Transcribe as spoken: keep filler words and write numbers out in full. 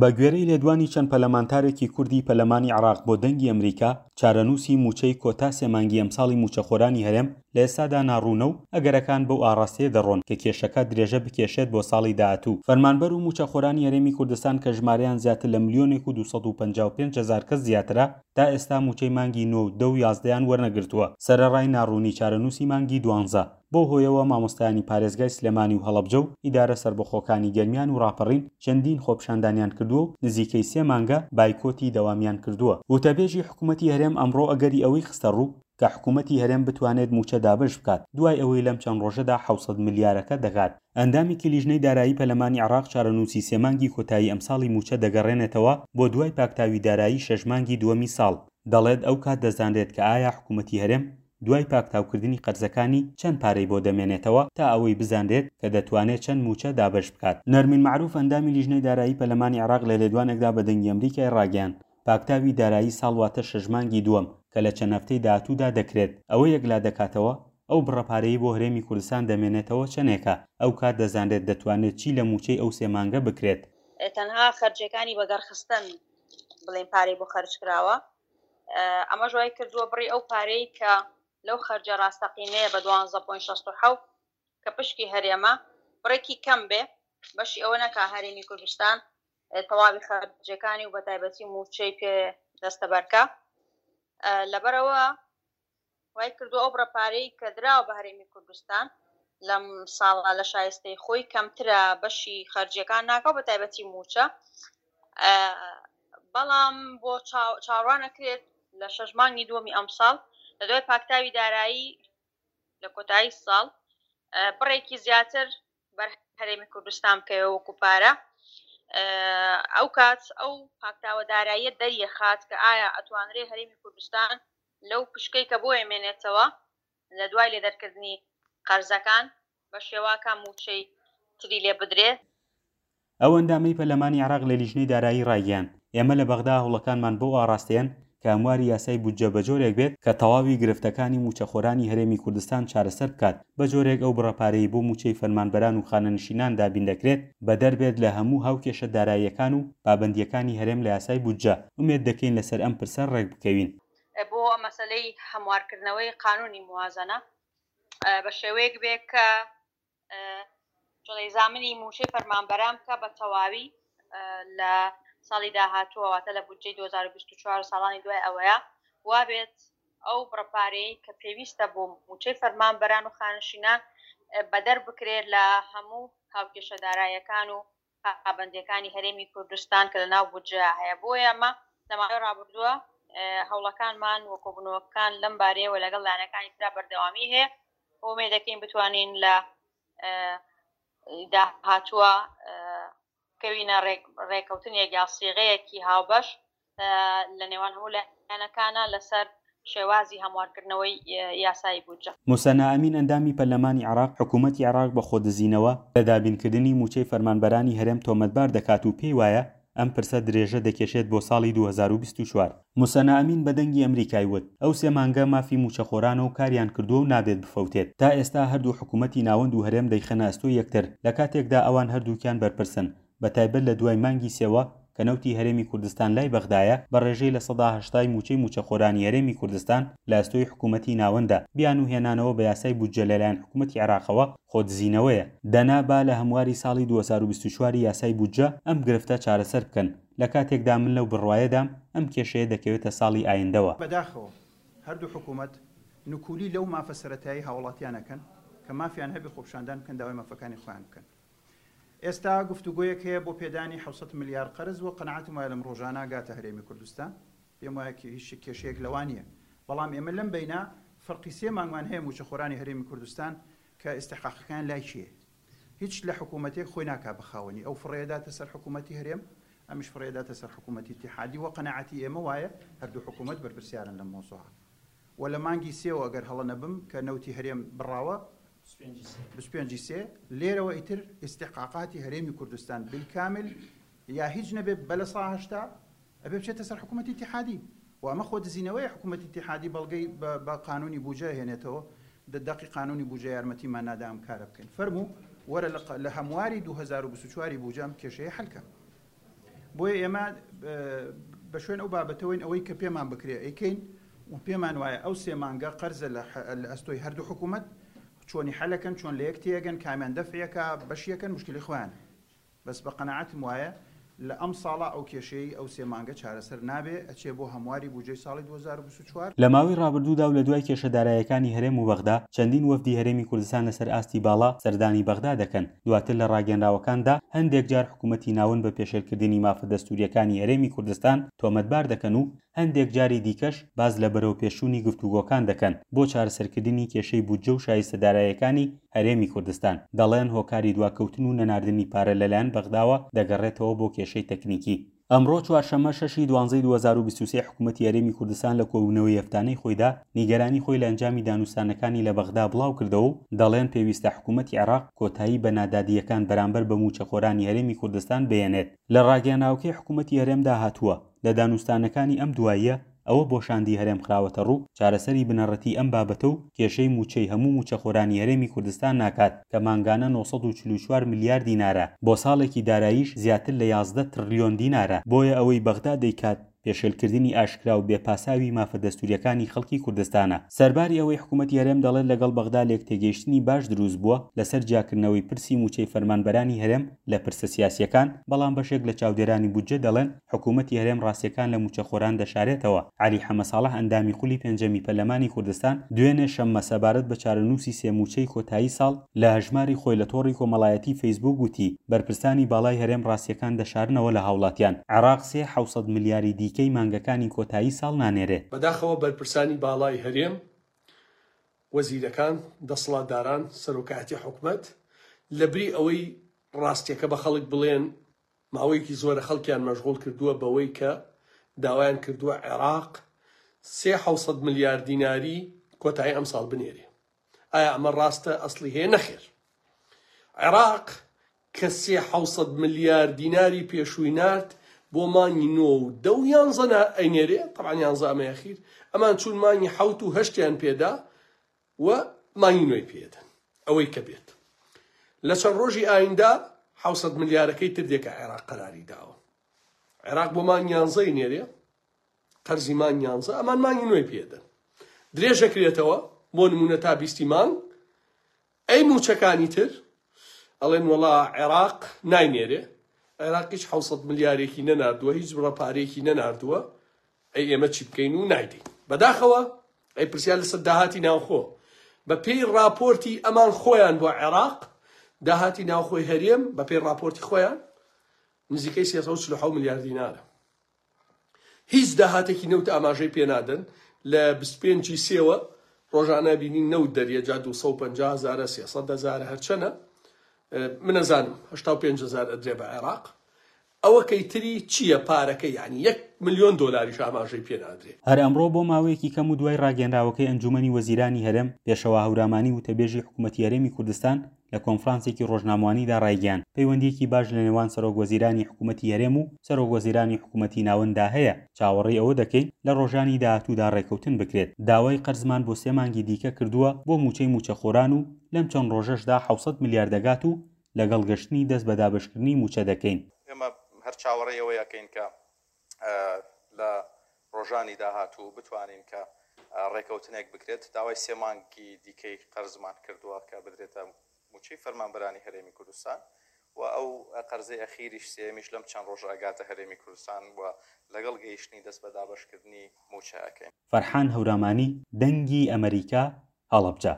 بە گوێرەی لێدوانی چەند پەلەمانتارێکی کوردی پەلەمانی عێراق بۆ دەنگی ئەمریکا، چارەنووسی مووچەی کۆتا سێ مانگی ئەمساڵی مووچەخۆرانی هەرێم لە ئێستادا ناڕوونە و ئەگەرەکان بەو ئاڕاستەیە دەڕۆن کە کێشەکە درێژە بکێشێت بۆ ساڵی داهاتوو. فەرمانبەر و مووچەخۆرانی هەرێمی کوردستان کە ژمارەیان زیاتر لە ملیۆنێک و دوو سەد و پەنجا و پێنج هەزار کەس زیاترە، تا ئێستا مووچەی مانگی نۆ و دە و یازدەیان وەرنەگرتووە، سەرەڕای ناڕوونی چارەنووسی مانگی دوانزە. بەو هۆیەوە مامۆستایانی پارێزگای سلێمانی و هەڵەبجە و ئیدارە سەربەخۆکانی گەرمیان و ڕاپەڕین چەندین خۆپیشاندانیان کردووە و نزیکەی سێ مانگە بایکۆتی دەوامیان کردووە. وتەبێژی حکوومەتی هەرێم ئەمڕۆ ئەگەری ئەوەی خستە ڕوو کە حکوومەتی هەرێم بتوانێت مووچە دابەش بکات دوای ئەوەی لەم چەند ڕۆژەدا حەوت سەد ملیارەکە دەگات. ئەندامێکی لیژنەی دارایی پەرلەمانی عێراق چارەنووسی سێ مانگی کۆتایی ئەمساڵی مووچە دەگەڕێنێتەوە بۆ دوای پاکتاوی دارایی شەش مانگی دووەمی ساڵ. دەڵێت ئەو کات دەزانرێت کە ئایا حکوومەتی هەرێم دوای پاکتاوکردنی قەرزەکانی چەند پارەی بۆ دەمێنێتەوە تا ئەوەی بزانرێت کە دەتوانێت چەند مووچە دابەش بکات. نەرمین مەعروف ئەندامی لیژنەی دارایی پەرلەمانی عێراق لە لێدوانێکدا بە دەنگی ئەمریکای ڕاگەیاند پاکتاوی دارایی ساڵ واتە شەش مانگی دووەم کە لە چەند هەفتەی داهاتوودا دەکرێت ئەوە یەکلا دەکاتەوە ئەو بڕە پارەی بۆ هەرێمی کوردستان دەمێنێتەوە چەندێکە، ئەو کات دەزانرێت دەتوانێت چی لە مووچەی ئەو سێ مانگە بکرێت. تەنها خەرجەکانی بەگەڕخستن بڵێن پارەی بۆ خەرج کراوە، ئەمەش وای کردووە بڕی ئەو پارەی کە لەو خەرجە ڕاستەقینەیە بە دوانزە پۆینت شەست و حەوت کە پشکی هەرێمە بڕێکی کەم بێ، بەشی ئەوە نەکا هەرێمی کوردستان تەواوی خەرجەکانی و بەتایبەتی مووچەی پێ دەستەبەرکە. لەبەرەوە وای کردو ئەو بڕە پارەی کە دراوە بە هەرێمی کوردستان لەم ساڵە لە شایستەی خۆی کەمترە، بەشی خەرجیەکان ناکەوە بە تایبەتی مووچە. بەڵام بۆ چاوەڕوان ئەکرێت لە شەش مانگی دووەمی ئەمساڵ لە دوای پاکتاوی دارایی لە کۆتایی ساڵ بڕێکی زیاتر بەر هەرێمی کوردستان بکەوێ وەکو پارە. ئەو کات ئەو پاکتاوە داراییە دەریەخات کە ئایا ئەتوانرێ هەرێمی کوردستان لەو پشکەی کە بۆ ئێمێنێتەوە لە دوای لێدەرکردنی قەرزەکان بە شێواکە مووچەی تری لێ بدرێت. ئەو ئەندامەی پەرلەمانی عێراق لە لیژنەی دارایی ڕایگەیاند ئێمە لە بەغدا هەوڵەکانمان بۆ ئاراستەیەن کە هەمواری یاسای بودجە بە جۆرێک بێت کە تەواوی گرفتەکانی مووچەخۆرانی هەرێمی کوردستان چارەسەر بکات، بە جۆرێک ئەو بڕە پارەی بۆ مووچەی فەرمانبەران و خانەنشینان دابین دەکرێت بەدەر بێت لە هەموو هاوکێشە داراییەکان و پابەندیەکانی هەرێم لە یاسای بودجە. ئومێد دەکەین لەسەر ئەم پرسە ڕێک بکەوین. بۆ مەسەلەی هەموارکردنەوەی قانونی موازنە بە شێوەیەک بێ کە جڵەی زامنی مووچەی فەرمانبەران بکە بە تەواوی لە ساڵی داهاتووە، واتە لە بودجەی دوو هەزار و بیست و چوار ساڵانی دوای ئەوەیە وابێت ئەو بڕەپارەی کە پێویستە بۆ مووچەی فەرمانبەران و خانشینان بەدەر بکرێت لە هەموو هاوکێشە داراییەکان و پابەندیەکانی هەرێمی کوردستان کە لە ناو بودجە هەیە. بۆیە ئەمە لە ماوەی ڕابردووە هەوڵەکانمان و کۆبوونەوەکان لەم بارەیەوە لەگەڵ لایەنەکانی ترا بەردەوامی هەیە. ئومێد دەکەین بتوانین لە داهاتووە کەوینە ڕێکەوتنێک یا سیغەیەکی هاوبەش لە نێوان هەموو لایەنەکانە لەسەر شێوازی هەموارکردنەوەی یاسایی بودجە. موسەنا ئەمین ئەندامی پەرلەمانی عێراق حکوومەتی عێراق بە خۆدزینەوە لە دابینکردنی مووچەی فەرمانبەرانی هەرێم تۆمەتبار دەکات و پێی وایە ئەم پرسە درێژە دەکێشێت بۆ ساڵی دوو هەزار و بیست و چوار. موسەنا ئەمین بە دەنگی ئەمریکای وت ئەو سێ مانگە مافی مووچەخۆرانە و کاریان کردووە و نابێت بفەوتێت. تا ئێستا هەردوو حکوومەتی ناوەند و هەرێم دەیخەنە ئەستۆی یەکتر لە کاتێکدا ئەوان هەردووکیان بەرپرسن، بە تایبەت لە دوای مانگی سێوە کە نەوتی هەرێمی کوردستان لای بەغدایە بە ڕێژەی لە سەدا هەشتای مووچەی مووچەخۆرانی هەرێمی کوردستان لە ئەستۆی حکوومەتی ناوەندە. بیان و هێنانەوە بە یاسای بودجە لەلایەن حکوومەتی عێراقەوە خۆدزینەوەیە. دەنا با لە هەمواری ساڵی دوو هەزار و بیست و چوار یاسای بودجە ئەم گرفتە چارەسەر بکەن. لە کاتێکدا من لەو بڕوایەدام ئەم کێشەیە دەکەوێتە ساڵی ئایندەوە. بەداخەوە هەردوو حکوومەت نکولی لەو مافە سەرەتایی هاوڵاتیانەکەن کە مافیان هەبێ خۆپیشاندان بکەن، داوای مافەکانی خۆیان بکەن. ئێستا گفتوگۆیەک هەیە بۆ پێدانی حەوت سەد ملیار قەرز و قەناعەتم وایە لەم ڕۆژانە گاتە هەرێمی کوردستان. پێم وایە هیچ کێشەیەک لەوان نییە، بەڵام ئێمە لەم بەینا فەرقی سێ مانگمان هەیە مووچەخۆرانی هەرێمی کوردستان کە ئیستحقاقەکان لای کێیە. هیچ لە حکوومەتێک خۆی ناکا بەخاوەنی، ئەو فڕێداتە سەر حکوومەتی هەرێم، ئەمیش فڕێداتە سەر حکوومەتی ئیتیحادی و قەناعەتی ئێمە وایە هەردوو حکوومەت بەرپرسیارن لەم مۆزوعە. و لە مانگی سێوە ئەگەر هەڵە نەبم کە نەوتی هەرێم بڕاوە بیست و پێنجی سێ لێرەوە ئیتر ئیستحقاقاتی هەرێمی کوردستان بالکامل یا هیچ نەبێ بە لە سا هەشتا ئەبێ بچێتە سەر حکوومەتی ئیتیحادی. و ئەمە خۆدزینەوەی حکوومەتی ئیتیحادی بەڵگەی بە قانونی بودجە هێنێتەوە، دەقی قانونی بودجە یارمەتیمان نادا ئەم کارە بکەین. فەرموو وەرە لە هەمواری دوو هەزار و بیست و چوار بودجە ئەم کێشەیە حەلکە. بۆیە ئێمە بە شوێن ئەو بابەتەوەین ئەوەی کە پێمان بکرێ ئەیکەین و پێمان وایە ئەو سێ مانگە قەرزە لە ئەستۆی هەردوو حکوومەت، چۆنی حەلەکەن، چۆن لە یەک تێگەن، کامیان دەفعەکە بەشیەکەن، مشکلی خۆیان. بەس بە قەناعەتم وایە لە ئەم ساڵە ئەو کێشەی ئەو سێ مانگە چارەسەر نابێ، ئەچێ بۆ هەمواری بودجەی ساڵی دوو هەزار و بیست و چوار. لە ماوەی ڕابردوودا و لە دوای کێشە دارایەکانی هەرێم و بەغدا، چەندین وەفدی هەرێمی کوردستان لەسەر ئاستی باڵا سەردانی بەغدا دەکەن. دواتر لە ڕاگەنراوەکاندا هەندێک جار حکوومەتی ناوەند بە پێشێلکردنی مافە دەستوریەکانی هەرێمی کوردستان تۆمەتبار دەکەن و هەندێک جاری دیکەش باز لە بەرەوپێشچوونی گفتوگۆکان دەکەن بۆ چارەسەرکردنی کێشەی بودجە و شایستە دارایەکانی هەرێمی کوردستان. دەڵێن هۆکاری دواکەوتن و نەناردنی پارە لەلایەن بەغداوە دەگەڕێتەوە بۆ کێشەی تەکنیکی. ئەمڕۆ چوارشەممە شەشی دوانزەی دوو هەزار و بیست و سێ حکوومەتی هەرێمی کوردستان لە کۆبوونەوەی هەفتانەی خۆیدا نیگەرانی خۆی لە ئەنجامی دانوستانەکانی لە بەغدا بڵاو کردەوە و دەڵێن پێویستە حکوومەتی عێراق کۆتایی بە نادادیەکان بەرامبەر بە موچەخۆرانی هەرێمی کوردستان بێنێت. لە ڕاگەیەنراوەکەی حکوومەتی هەرێمدا هاتووە لە دانوستانەکانی ئەم دواییە ئەوە بۆ شاندی هەرێم خراوەتە ڕوو چارەسەری بنەڕەتی ئەم بابەتە و کێشەی موچەی هەموو موچەخۆرانی هەرێمی کوردستان ناکات کە مانگانە نۆ سەد و چل و چوار ملیار دینارە، بۆ ساڵێکی داراییش زیاتر لە یازدە تڕلیۆن دینارە. بۆیە ئەوەی بەغدا دەیکات پێشێلکردنی ئاشکرا و بێپاساوی مافە دەستوریەکانی خەڵکی کوردستانە. سەرباری ئەوەی حکوومەتی هەرێم دەڵێت لەگەڵ بەغدا لێکتێگەیشتنی باش دروست بووە لەسەر جیاکردنەوەی پرسی موچەی فەرمانبەرانی هەرێم لە پرسە سیاسیەکان، بەڵام بەشێک لە چاودێرانی بودجە دەڵێن حکوومەتی هەرێم ڕاستیەکان لە موچەخۆران دەشارێتەوە. عەلی حەمەساڵح ئەندامی خولی پێنجەمی پەرلەمانی کوردستان دوێنێ شەممە سەبارەت بە چارەنووسی سێ موچەی کۆتایی ساڵ لە هەژماری خۆی لە تۆڕی کۆمەڵایەتی فەیسبوک وتی بەرپرسانی باڵای هەرێم ڕاستیەکان دەشارنەوە لە هاوڵاتیان. عێراق سێ حەوسەد ملیاری دیکەی مانگەکانی کۆتایی ساڵ نانێرێ. بەداخەوە بەرپرسانی باڵای هەرێم، وەزیرەکان، دەسەڵاتداران، سەرۆکایەتی حکومەت لەبری ئەوەی ڕاستیەکە بە خەڵک بڵێن، ماوەیەکی زۆرە خەڵکیان مەشغوڵ کردووە بەوەی کە داوایان کردووە عێراق سێ حەوسەد ملیار دیناری کۆتایی ئەم ساڵ بنێرێ. ئایا ئەمە ڕاستە؟ ئەسڵی هەیە؟ نەخێر. عێراق کە سێ حەوسەد ملیار دیناری پێشووی نارد بۆ مانگی نۆ و دە و یانزە ئەینێرێ، طبعا یانزە ئەمە یەخیر، ئەمان چوون مانگی حەوت و هەشتیان پێدا و مانگی نۆی پێدەن. ئەوەی کە بێت لە چەند ڕۆژی ئایندا حەوسەد ملیارەکەی تر دێکە عێراق قەراری داوە. عێراق بۆ مانگ یانزەی نێرێ، قەرزی مانگ یانزە، ئەمان مانگی نۆی پێدەن، درێژەکرێتەوە بۆ نمونە تا بیستی مانگ. ئەی موچەکانی تر ئەڵێن وەڵا عێراق ناینێرێ، عێراق هیچ حەوسەد ملیارێکی نەناردووە، هیچ بڕە پارێکی نەناردووە، ئەی ئێمە چی بکەین و نایدەین. بەداخەوە ئەی پرسیار لەسەر داهاتی ناوخۆ، بە پێی راپۆرتی ئەمان خۆیان بۆ عێراق داهاتی ناوخۆی هەرێم بە پێی راپۆرتی خۆیان نزیکەی سێ سەد و چل و حەوت ملیار دینارە. هیچ داهاتێکی نەوت ئاماژەی پێنادەن. لە بیست و پێنجی سێوە ڕۆژانە بینین نەوت دەریە، جا دوو سەد و پەنجا هەزارە، سێ سەد هەزارە، هەرچەنە من نەزانم هەشتا و پێنج هەزار ئەدرێ بە عێراق. ئەوە کەیتری چییە پارەکە؟ یعنی یەک ملیۆن دۆلاریش ئاماژەی پێنادرێ. هەر ئەمڕۆ بۆ ماوەیەکی کەم و دوای ڕاگەنراوەکەی ئەنجومەنی وەزیرانی هەرێم، پێشەوا هەورامانی وتەبێژی حکوومەتی هەرێمی کوردستان لە کۆنفرانسێکی ڕۆژنامەوانیدا ڕایگەیاند پەیوەندیەکی باش لە نێوان سەرۆک وەزیرانی حکوومەتی هەرێم و سەرۆک وەزیرانی حکوومەتی ناوەنددا هەیە. چاوەڕێی ئەوە دەکەین لە ڕۆژانی داهاتوودا ڕێکەوتن بکرێت. داوای قەرزمان بۆ سێ مانگی دیکە کردووە بۆ موچەی موچەخۆران و لەم چەند ڕۆژەشدا حەوسەد ملیار دەگات و لەگەڵ گەشتنی دەست بە دابەشکردنی موچە دەکەین. ئێمە هەر چاوەڕێی ئەوە یەکەین کە لە ڕۆژانی داهاتوو بتوانین کە ڕێکەوتنێک بکرێت. داوای سێ مانگی دیکەی قەرزمان کردووە کە بدرێتە موچەی فەرمانبەرانی هەرێمی کوردستان و ئەو قەرزەی ئەخیریش سێمیش لەم چەند ڕۆژە ئەگاتە هەرێمی کوردستان و لەگەڵ گەیشتنی دەست بە دابەشکردنی موچە ئەکەین. فەرحان هەورامانی، دەنگی ئەمریکا، هەڵەبجە.